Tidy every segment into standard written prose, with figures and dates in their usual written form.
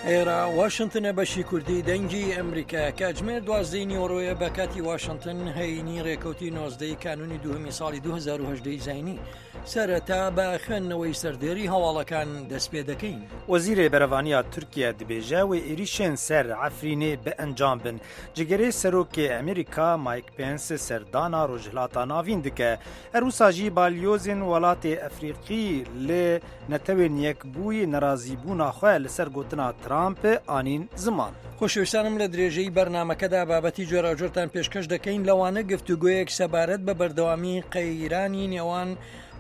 ئێرە واشنتنە بەشی کوردی دەنگی ئەمریکا کاتژمێر دوازدەی نیوەڕۆیە بە کاتی واشنتن هەینی ڕێکەوتی نۆزدەی کانونی دووهەمی ساڵی 2010 زینی سەرەتا بە خوێندنەوەی سەردێری هەواڵەکان دەست پێ دەکەین. وەزیرê Berevaniya Tirkiye dibêje wê êrîşên ser Efrînê bi encam bin. Cigirê Serokê Amerîka Mike Pence serdana Rojhilata Navîn dike. Her wisa jî balyozên welatê Efrîqî li Netewên Yekbûyî nerazîbûna xwe li ser gotina Trump anîn ziman. خۆشەویستانم لە درێژەی بەرنامەکەدا بابەتی جۆراوجۆرتان پێشکەش دەکەین لەوانە گفتوگۆیەک سەبارەت بە بەردەوامی قەیرانی نێوان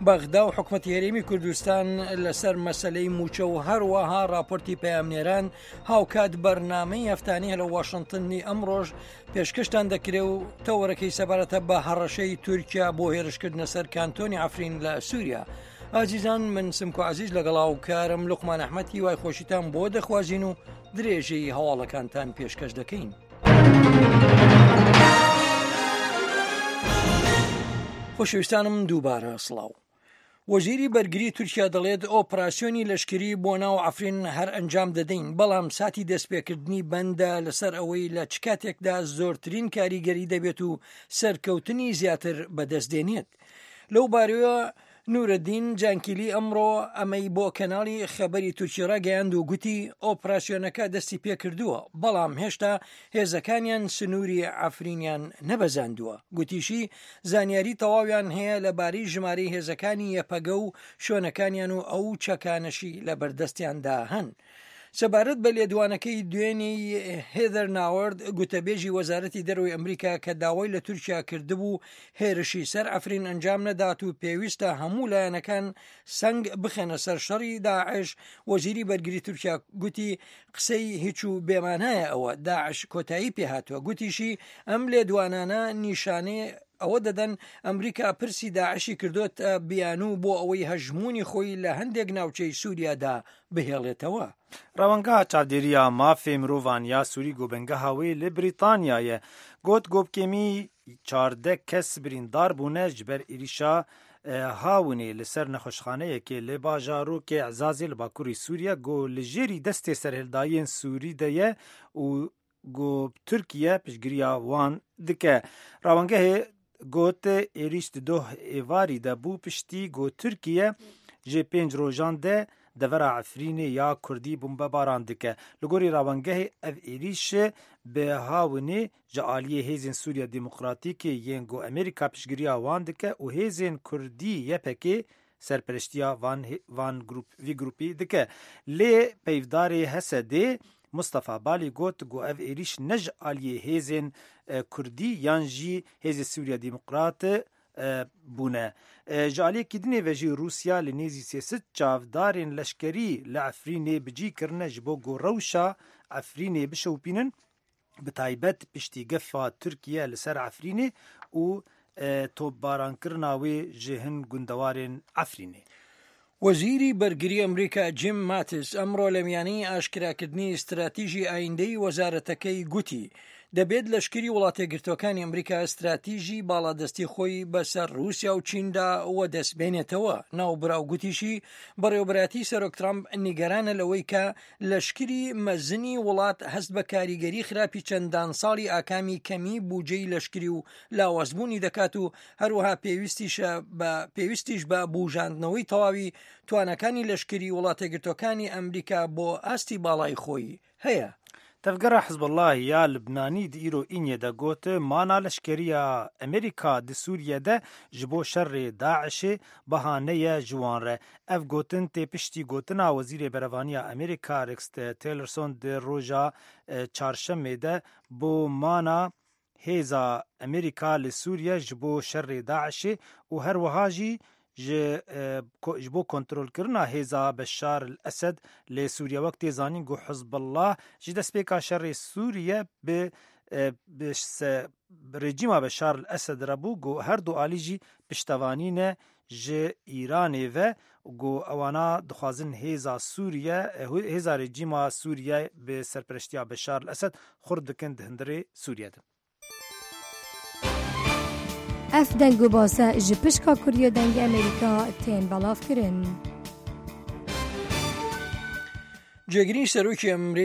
بەغدا و حکومەتی هەرێمی کوردستان لەسەر مەسلەی موچە و هەروەها راپۆرتی پەیامنێران هاوکات بەرنامەی هەفتانی لە واشنتنی ئەمڕۆژ پێشکەشتان دەکرێ و تەوەرەکەی سەبارەتە بە هەڕەشەی تورکیا بۆ هێرشکردنە سەر کانتۆنی عفرین لە سووریا. ئازیزان من سمکۆ عزیز لەگەڵ هاوکارم لوقمان ئەحمەد هیوای خۆشیتان بۆ دەخوازین و درێژەی هەواڵەکانتان پێشکەش دەکەین. خۆشەویستانم دووبارە سڵاو. وەزیری بەرگری تورکیا دەڵێت ئۆپراسیۆنی لەشکری بۆ ناو عەفرین هەر ئەنجام دەدەین بەڵام ساتی دەستپێکردنی بەندە لەسەر ئەوەی لە چ کاتێکدا زۆرترین کاریگەری دەبێت و سەرکەوتنی زیاتر بەدەست دێنێت. لەو بارەیەوە نورەدین جانکیلی ئەمڕۆ ئەمەی بۆ کەناڵی خەبەری تورکی ڕاگەیاند و گوتی ئۆپراسیۆنەکە دەستی پێکردووە، بەڵام هێشتا هێزەکانیان سنووری عەفرینیان نەبەزاندووە. گوتیشی زانیاری تەواویان هەیە لەبارەی ژمارەی هێزەکانی یەپەگە و شوێنەکانیان و ئەو چەکانەشی لەبەردەستیاندا هەن. سەبارەت بە لێدوانەکەی دوێنێی هێدەر ناوەرد گوتەبێژی وەزارەتی دەرەوەی ئەمریکا کە داوای لە تورکیا کردبوو هێرشی سەر عەفرین ئەنجام نەدات و پێویستە هەموو لایەنەکان سەنگ بخەنە سەر شەڕی داعش وەزیری بەرگری تورکیا گوتی قسەی هیچ و بێمانایە ئەوە داعش کۆتایی پێهاتووە گوتیشی ئەم لێدوانانە نیشانەی ئەوە دەدەن ئەمریکا پرسی داعشی کردۆتە بیانوو بۆ ئەوەی هەژموونی خۆی لە هەندێک ناوچەی سووریادا بهێڵێتەوە. Rewangeha Çavdêriya Mafê Mirovan ya Sûrî ku bingeha wê li Brîtanya ye, got ku bi kêmî 14 kes birîndar bûne ji ber êrîşa Hawinê li ser nexweşxaneyekê li bajarokê Ezazê li bakurê Sûriye ku li jêrî destê serhildayên Sûrî de ye û ku Tirkiye piştgiriya wan dike. Rawangehê got êrîş di doh êvarî de bû piştî ku Tirkiye ji pênc rojan de devera Efrînê ya Kurdî bombebaran dike. Li gorî rawangehê ev êrîş bi hawinê ji aliyê Hêzên Sûriya Demokratîkê yên ku Amerîka piştgiriya wan dike û hêzên Kurdî YPK'ê serpereştiya van van grûp vî grûpî dike. Lê peyvdarê HSD Mustafa Balî got ku ev êrîş ne ji aliyê hêzên Kurdî yan jî hêzê Sûriya Demokrat bûne. Ji aliyekî dinê ve jî Rûsya li nêzî 300 çavdarên leşkerî li Efrînê bi cî kirine ji bo ku rewşa Efrînê bişewpînin bi taybet piştî gefa Tirkiye li ser Efrînê û topbarankirina wê ji hin gundewarên Efrînê. وەزیری بەرگری ئەمریکا جیم ماتیس ئەمڕۆ لە میانەی ئاشکراکردنی ستراتیژی ئایندەی وەزارەتەکەی گوتی، دەبێت لەشکری وڵاتەیەکگرتووەکانی ئەمریکا ستراتیژی باڵادەستی خۆی بەسەر رووسیا و چیندا وەدەست بێنێتەوە. ناوبراو گوتیشی، بەڕێوەبەرایەتی سەرۆک ترامپ نیگەرانە لەوەی کە لەشکری مەزنی وڵات هەست بە کاریگەری خراپی چەندان ساڵی ئاکامی کەمی بوجەی لەشکری و لاوازبوونی دەکات و هەروەها پێویستیشە بە پێویستیش بە بوژاندنەوەی تەواوی تواناکانی لەشکری وڵاتەیەکگرتووەکانی ئەمریکا بۆ ئاستی باڵای خۆی هەیە. Tevgera Hizbullah ya Libnanî di îro Înê de got, Mana leşkeriya Amerîka di Sûriye de ji bo şerê DAIŞ'ê bihaneye ji wan re. Ev gotin tê piştî gotina Wezîrê Berevaniya Amerîka Rex Tillerson di roja Çarşemê de bo mana Hêza Amerîka li Sûriye ji bo şerê DAIŞ'ê û her wiha jî ji ji bo kontrolkirina hêza Beşar el Esed li Sûriye wek tê zanîn ku Hizbullah ji destpêka şerê Sûriye bi bi rejîma Beşar el Esed re bû ku her du alî jî piştevanî ne ji Îranê ve ku ewana dixwazin hêza Sûriye hêza rejîma Sûriye bi serpereştiya Beşar el Esed xurt dikin di hundirê Sûriye de. Ev deng û base ji pişka Kurdiya Dengê Amerîka tên belavkirin. Cêgirî Serokê.